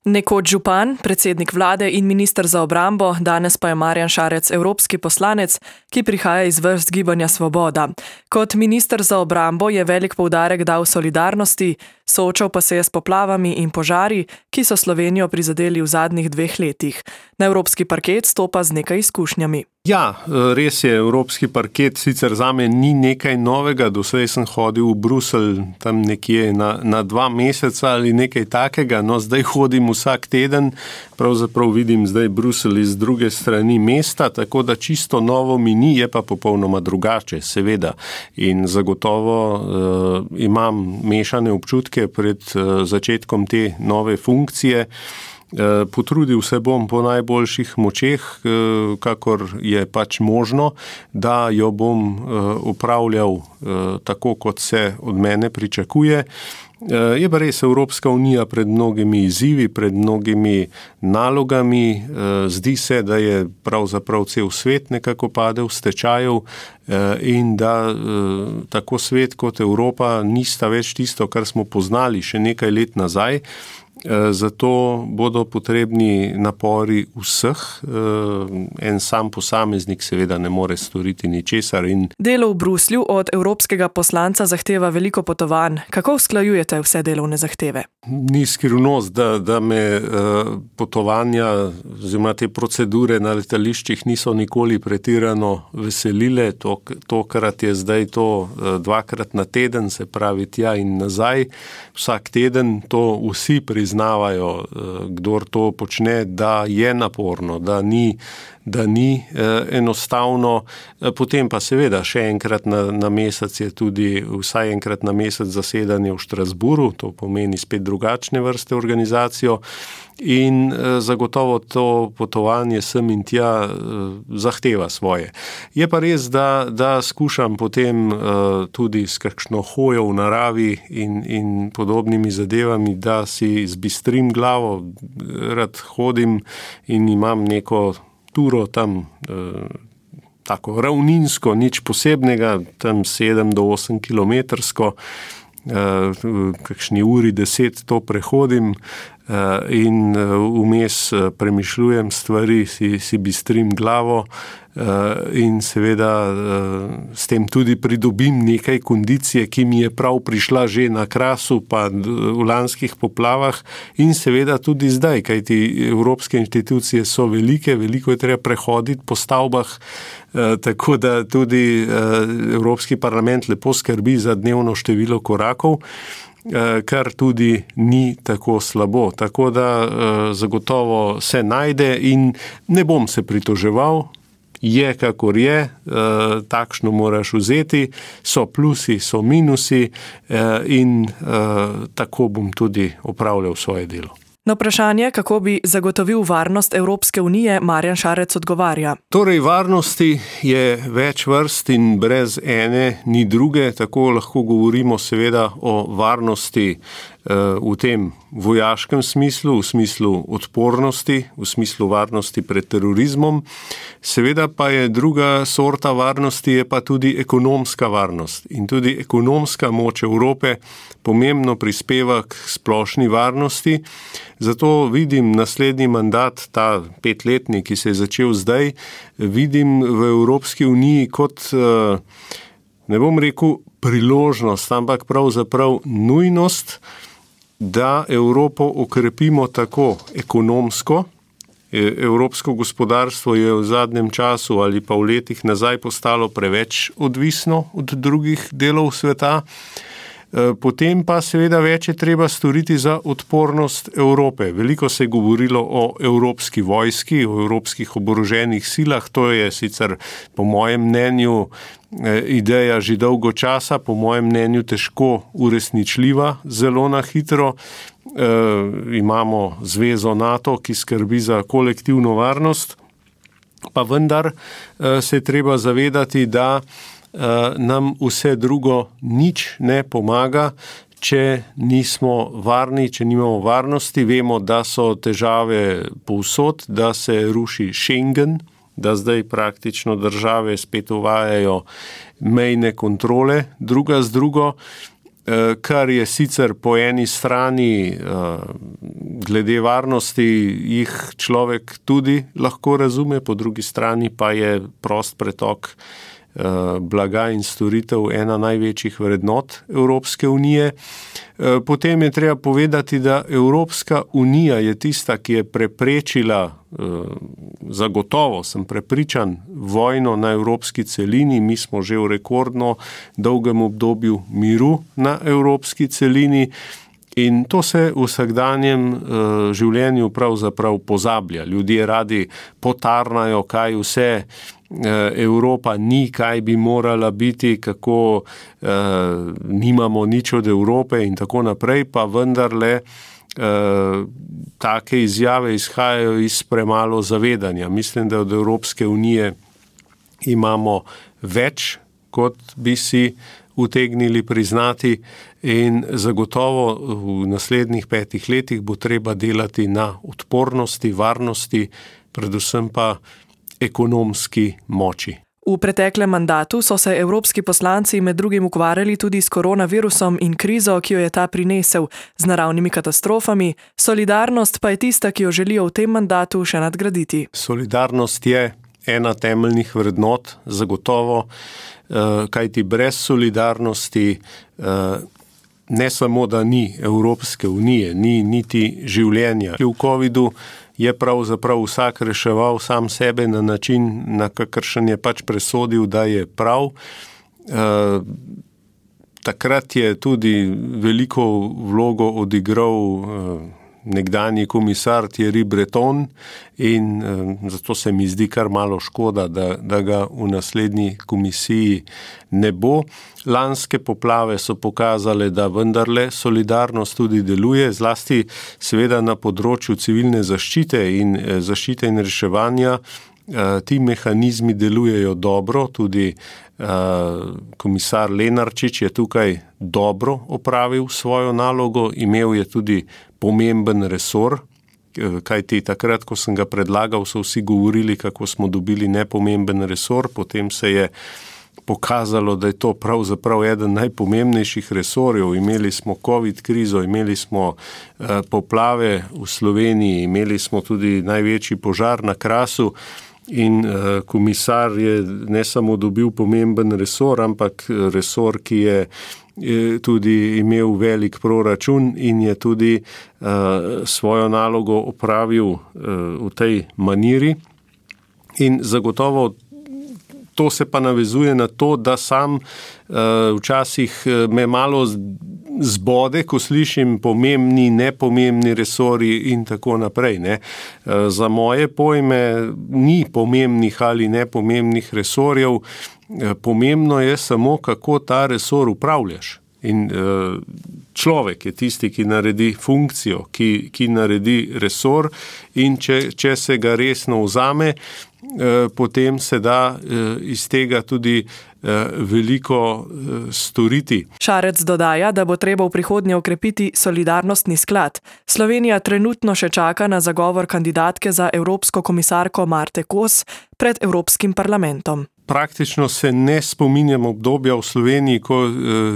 Nekoč župan, predsednik vlade in minister za obrambo, danes pa je Marjan Šarec evropski poslanec, ki prihaja iz vrst Gibanja Svoboda. Kot minister za obrambo je velik poudarek dal solidarnosti, soočal pa se je s poplavami in požari, ki so Slovenijo prizadeli v zadnjih 2 letih. Na evropski parket stopa z nekaj izkušnjami. Ja, res je, evropski parket sicer zame ni nekaj novega, doslej sem hodil v Bruselj tam nekje na 2 meseca ali nekaj takega, no zdaj hodim vsak teden, pravzaprav vidim zdaj Bruselj iz druge strani mesta, tako da čisto novo mi ni, je pa popolnoma drugače, seveda. In zagotovo imam mešane občutke pred začetkom te nove funkcije. Potrudil se bom po najboljših močeh, kakor je pač možno, da jo bom upravljal tako, kot se od mene pričakuje. Je pa res Evropska unija pred mnogimi izzivi, pred mnogimi nalogami. Zdi se, da je pravzaprav cel svet nekako padel v stečajev in da tako svet kot Evropa nista več tisto, kar smo poznali še nekaj let nazaj. Zato bodo potrebni napori vseh. En sam posameznik seveda ne more storiti ničesar. Delo v Bruslju od evropskega poslanca zahteva veliko potovanj. Kako usklajujete vse delovne zahteve? Ni skrivnost, da me potovanja oziroma te procedure na letališčih niso nikoli pretirano veselile. Tokrat je zdaj to 2-krat na teden, se pravi tja in nazaj. Vsak teden to vsi priznavajo, kdor to počne, da je naporno, da ni enostavno. Potem pa seveda še enkrat na mesec je tudi vsaj enkrat na mesec zasedanje v Štrasburu, to pomeni spet drugačne vrste organizacijo in zagotovo to potovanje sem in tja zahteva svoje. Je pa res, da skušam potem tudi s kakšno hojo v naravi in podobnimi zadevami, da si zbistrim glavo, rad hodim in imam neko turo tam tako ravninsko, nič posebnega, tam 7 do 8 kilometrsko, kakšni uri 10 to prehodim in vmes premišljujem stvari, si bistrim glavo in seveda s tem tudi pridobim nekaj kondicije, ki mi je prav prišla že na Krasu pa v lanskih poplavah in seveda tudi zdaj, kajti evropske institucije so velike, veliko je treba prehoditi po stavbah, tako da tudi Evropski parlament lepo skrbi za dnevno število korakov, kar tudi ni tako slabo. Tako da zagotovo se najde in ne bom se pritoževal, je kakor je, takšno moraš vzeti, so plusi, so minusi in tako bom tudi opravljal svoje delo. Na vprašanje, kako bi zagotovil varnost Evropske unije, Marjan Šarec odgovarja. Torej, varnosti je več vrst in brez ene ni druge, tako lahko govorimo seveda o varnosti v tem vojaškem smislu, v smislu odpornosti, v smislu varnosti pred terorizmom. Seveda pa je druga sorta varnosti, je pa tudi ekonomska varnost. In tudi ekonomska moč Evrope pomembno prispeva k splošni varnosti. Zato vidim naslednji mandat, ta 5-letni, ki se je začel zdaj, vidim v Evropski uniji kot, ne bom rekel priložnost, ampak pravzaprav nujnost, da Evropo okrepimo tako ekonomsko. Evropsko gospodarstvo je v zadnjem času ali pa v letih nazaj postalo preveč odvisno od drugih delov sveta. Potem pa seveda več je treba storiti za odpornost Evrope. Veliko se je govorilo o evropski vojski, o evropskih oboroženih silah. To je sicer po mojem mnenju ideja že dolgo časa, po mojem mnenju težko uresničljiva, zelo na hitro. Imamo zvezo NATO, ki skrbi za kolektivno varnost, pa vendar se je treba zavedati, da nam vse drugo nič ne pomaga, če nismo varni, če nimamo varnosti. Vemo, da so težave povsod, da se ruši Schengen, da zdaj praktično države spet uvajajo mejne kontrole druga z drugo kar je sicer po eni strani glede varnosti jih človek tudi lahko razume, po drugi strani pa je prost pretok blaga in storitev ena največjih vrednot Evropske unije. Potem je treba povedati, da Evropska unija je tista, ki je preprečila, zagotovo sem prepričan, vojno na evropski celini. Mi smo že v rekordno dolgem obdobju miru na evropski celini in to se v vsakdanjem življenju pravzaprav pozablja. Ljudje radi potarnajo, kaj vse Evropa ni, kaj bi morala biti, kako nimamo nič od Evrope in tako naprej, pa vendarle take izjave izhajajo iz premalo zavedanja. Mislim, da od Evropske unije imamo več, kot bi si utegnili priznati in zagotovo v naslednjih 5 letih bo treba delati na odpornosti, varnosti, predvsem pa ekonomski moči. V preteklem mandatu so se evropski poslanci med drugim ukvarjali tudi s koronavirusom in krizo, ki jo je ta prinesel, z naravnimi katastrofami. Solidarnost pa je tista, ki jo želijo v tem mandatu še nadgraditi. Solidarnost je ena temeljnih vrednot, zagotovo, kajti brez solidarnosti ne samo, da ni Evropske unije, ni niti življenja. V covidu je pravzaprav vsak reševal sam sebe na način, na kakršen je pač presodil, da je prav. Takrat je tudi veliko vlogo odigral nekdanji komisar Thierry Breton in zato se mi zdi kar malo škoda, da ga v naslednji komisiji ne bo. Lanske poplave so pokazale, da vendarle solidarnost tudi deluje, zlasti seveda na področju civilne zaščite in reševanja. Ti mehanizmi delujejo dobro, tudi komisar Lenarčič je tukaj dobro opravil svojo nalogo, imel je tudi pomemben resor, kajti takrat, ko sem ga predlagal, so vsi govorili, kako smo dobili nepomemben resor, potem se je pokazalo, da je to pravzaprav eden najpomembnejših resorjev. Imeli smo COVID krizo, imeli smo poplave v Sloveniji, imeli smo tudi največji požar na Krasu in komisar je ne samo dobil pomemben resor, ampak resor, ki je tudi imel velik proračun in je tudi svojo nalogo opravil v tej maniri. In zagotovo to se pa navezuje na to, da sam včasih me malo zbode, ko slišim pomembni, nepomembni resorji in tako naprej. Ne. Za moje pojme ni pomembnih ali nepomembnih resorjev, pomembno je samo, kako ta resor upravljaš. In človek je tisti, ki naredi funkcijo, ki naredi resor in če se ga resno vzame, potem se da iz tega tudi veliko storiti. Šarec dodaja, da bo treba v prihodnje okrepiti solidarnostni sklad. Slovenija trenutno še čaka na zagovor kandidatke za evropsko komisarko Marte Kos pred Evropskim parlamentom. Praktično se ne spominjam obdobja v Sloveniji, ko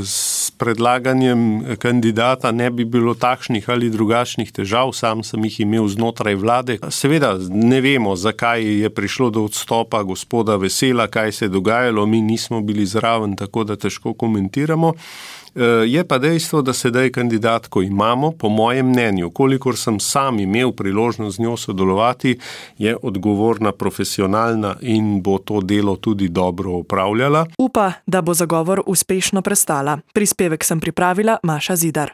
s predlaganjem kandidata ne bi bilo takšnih ali drugačnih težav, sam sem jih imel znotraj vlade. Seveda ne vemo, zakaj je prišlo do odstopa gospoda Vesela, kaj se je dogajalo, mi nismo bili zraven, tako da težko komentiramo. Je pa dejstvo, da sedaj kandidatko imamo, po mojem mnenju, kolikor sem sam imel priložnost z njo sodelovati, je odgovorna, profesionalna in bo to delo tudi dobro opravljala. Upa, da bo zagovor uspešno prestala. Prispevek sem pripravila Maša Zidar.